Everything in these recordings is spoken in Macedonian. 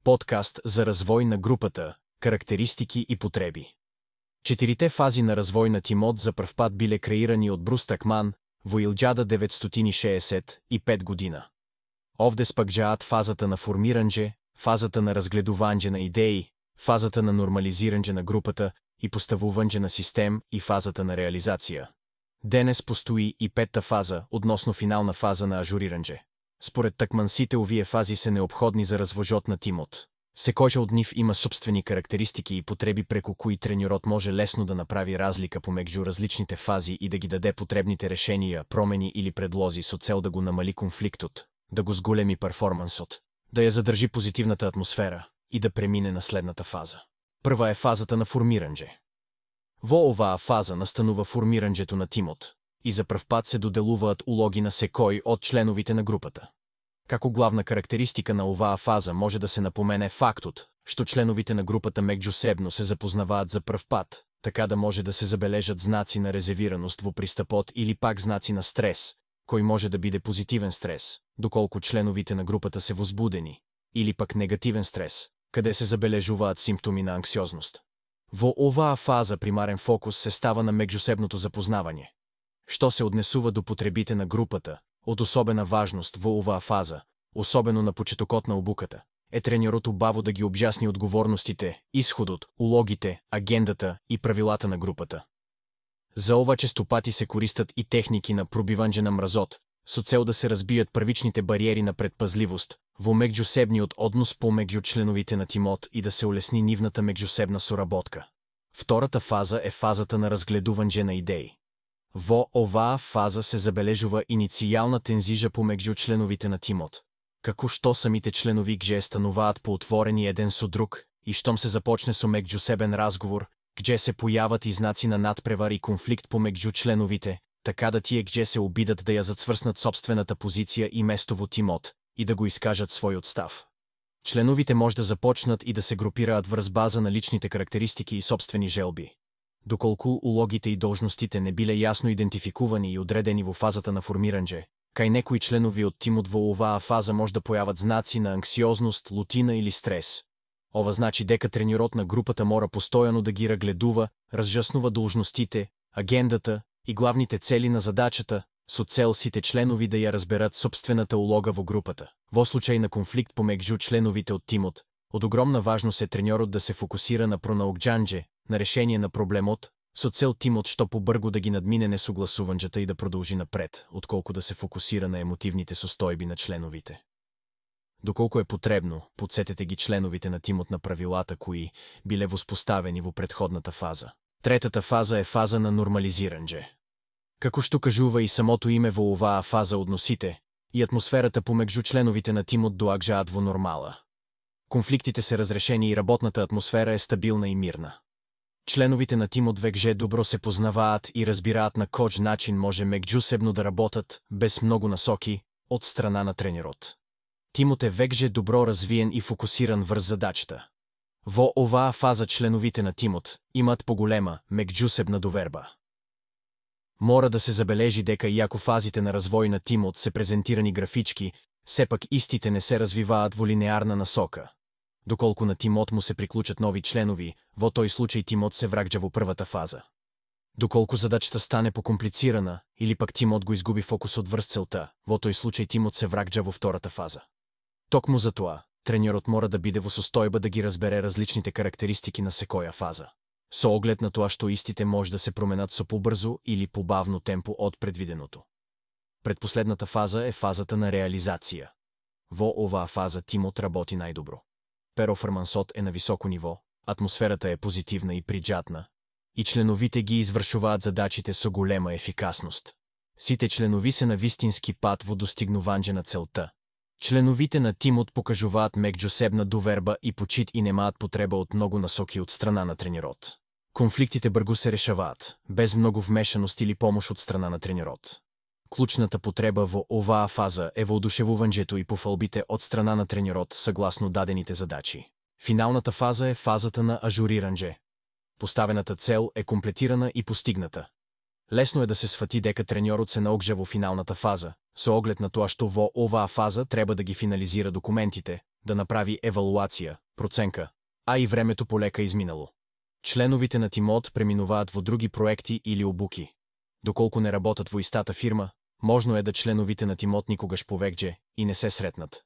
Подкаст за развој на групата, карактеристики и потреби. 4 фази на развој на тимот за прв пат биле креирани од Брус Такман во 1965 година. Овде спаѓаат фазата на формирање, фазата на разгледување на идеи, фазата на нормализирање на групата и поставување на систем и фазата на реализација. Денес постои и петта фаза, односно финална фаза на ажурирање. Според Такман сите овие фази се неопходни за развожот на тимот. Секоја од нив има собствени карактеристики и потреби преку кои тренерот може лесно да направи разлика помеѓу различните фази и да ги даде потребните решенија, промени или предлози со цел да го намали конфликтот, да го зголеми перформансот, да ја задржи позитивната атмосфера и да премине на следната фаза. Прва е фазата на формирање. Во оваа фаза настанува формирањето на тимот и за прв пат се доделуваат улоги на секој од членовите на групата. Како главна карактеристика на оваа фаза може да се напомене фактот што членовите на групата меѓусебно се запознаваат за прв пат, така да може да се забележат знаци на резервираност во пристапот или пак знаци на стрес, кој може да биде позитивен стрес, доколку членовите на групата се возбудени, или пак негативен стрес, каде се забележуваат симптоми на анксиозност. Во оваа фаза примарен фокус се става на меѓусебното запознавање. Што се однесува до потребите на групата, од особена важност во оваа фаза, особено на почетокот на обуката, е тренерот убаво да ги објасни одговорностите, исходот, улогите, агендата и правилата на групата. За ова често пати се користат и техники на пробивање на мразот, со цел да се разбијат првичните бариери на предпазливост во меѓусебниот однос помеѓу членовите на тимот и да се улесни нивната меѓусебна соработка. Втората фаза е фазата на разгледување на идеи. Во оваа фаза се забележува иницијална тензижа помеѓу членовите на тимот, како што самите членови гже стануваат поотворени еден со друг и штом се започне со меѓусебен разговор, гже се појават и знаци на надпревар и конфликт помеѓу членовите, така да тие гже се обидат да ја зацврснат собствената позиција и место во тимот и да го искажат својот став. Членовите може да започнат и да се групираат врз база на личните карактеристики и собствени желби. Доколку улогите и должностите не биле јасно идентификувани и одредени во фазата на формирање, кај некои членови од тимот во оваа фаза може да појават знаци на анксиозност, лутина или стрес. Ова значи дека тренерот на групата мора постојано да ги рагледува, разжаснува должностите, агендата и главните цели на задачата, со цел сите членови да ја разберат собствената улога во групата. Во случај на конфликт помеѓу членовите од тимот, од огромна важност е тренерот да се фокусира на пронаоѓање, на решение на проблемот, со цел тимот што побргу да ги надмине несогласувањата и да продолжи напред, отколку да се фокусира на емотивните состојби на членовите. Доколку е потребно, потсетете ги членовите на тимот на правилата кои биле воспоставени во претходната фаза. Третата фаза е фаза на нормализирање. Како што кажува и самото име во оваа фаза, односите и атмосферата помеѓу членовите на тимот доаѓаат во нормала. Конфликтите се разрешени и работната атмосфера е стабилна и мирна. Членовите на тимот векже добро се познаваат и разбираат на кој начин може меѓусебно да работат, без многу насоки, од страна на тренерот. Тимот е векже добро развиен и фокусиран врз задачата. Во оваа фаза членовите на тимот имаат поголема меѓусебна доверба. Мора да се забележи дека иако фазите на развој на тимот се презентирани графички, сепак истите не се развиваат во линеарна насока. Доколку на тимот му се приклучат нови членови, во тој случај тимот се враќа во првата фаза. Доколку задачата стане покомплицирана или пак тимот го изгуби фокусот врз целта, во тој случај тимот се враќа во втората фаза. Токму за тоа, тренерот мора да биде во состојба да ги разбере различните карактеристики на секоја фаза, со оглед на тоа што истите може да се променат со побрзо или побавно темпо од предвиденото. Предпоследната фаза е фазата на реализација. Во оваа фаза тимот работи најдобро. Перформансот е на високо ниво, атмосферата е позитивна и приџатна, и членовите ги извршуваат задачите со голема ефикасност. Сите членови се на вистински пат во достигнување на целта. Членовите на тимот покажуваат меѓусебна доверба и почит и немаат потреба од многу насоки од страна на тренерот. Конфликтите бргу се решаваат, без многу вмешаност или помош од страна на тренерот. Клучната потреба во оваа фаза е воодушевувањето и пофалбите од страна на тренерот согласно дадените задачи. Финалната фаза е фазата на ажурирање. Поставената цел е комплетирана и постигната. Лесно е да се сфати дека тренерот се наогжа во финалната фаза, со оглед на тоа што во оваа фаза треба да ги финализира документите, да направи евалуација, проценка, а и времето полека изминало. Членовите на тимот преминуваат во други проекти или обуки. Доколку не работат во истата фирма, можно е да членовите на тимот никогаш повеќе и не се сретнат.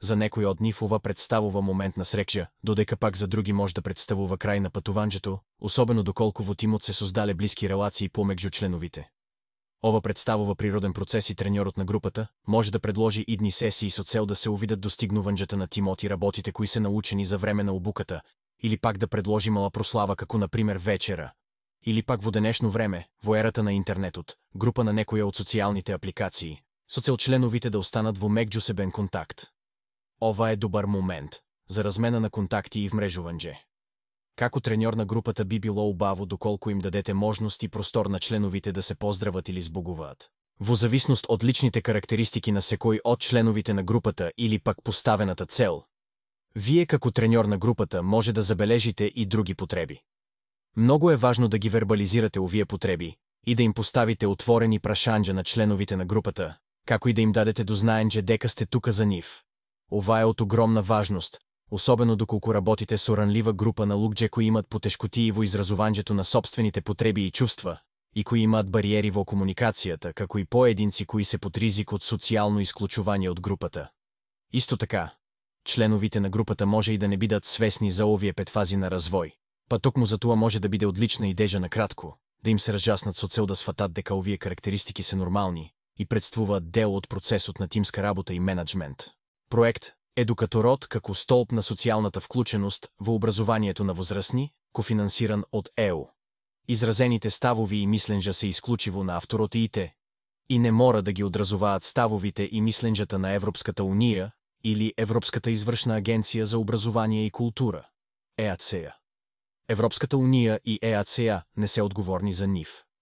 За некои од нив ова представува момент на среќа, додека пак за други може да представува крај на патуванџето, особено доколку во тимот се создале блиски релации помеѓу членовите. Ова представува природен процес и треньорот на групата може да предложи идни сесии со цел да се увидат достигнувањата на тимот и работите кои се научени за време на обуката, или пак да предложи мала прослава како например вечера, или пак во денешно време, во ерата на интернетот, група на некоја од социјалните апликации, со цел членовите да останат во меѓусебен контакт. Ова е добар момент за размена на контакти и вмрежување. Како треньор на групата би било убаво доколку им дадете можност и простор на членовите да се поздрават или збогуваат. Во зависност од личните карактеристики на секој од членовите на групата или пак поставената цел, вие како треньор на групата може да забележите и други потреби. Многу е важно да ги вербализирате овие потреби и да им поставите отворени прашања на членовите на групата, како и да им дадете до знаење дека сте тука за нив. Ова е од огромна важност, особено доколку работите со ранлива група на луѓе кои имат потешкотии во изразувањето на сопствените потреби и чувства, и кои имаат бариери во комуникацијата, како и поединци кои се под ризик од социјално исклучување од групата. Исто така, членовите на групата може и да не бидат свесни за овие 5 фази на развој, па токму за тоа може да биде одлична идеја на кратко, да им се разјаснат со цел да сфатат дека овие карактеристики се нормални и претставуваат дел од процесот на тимска работа и менаџмент. Проект Едукаторот како столб на социјалната вклученост во образованието на возрастни, кофинансиран од ЕУ. Изразените ставови и мисленџа се исклучиво на авторот и не мора да ги одразуваат ставовите и мисленџата на Европската унија или Европската извршна агенција за образование и култура, ЕАЦЕА. Европската унија и ЕАЦЕА не се одговорни за нив.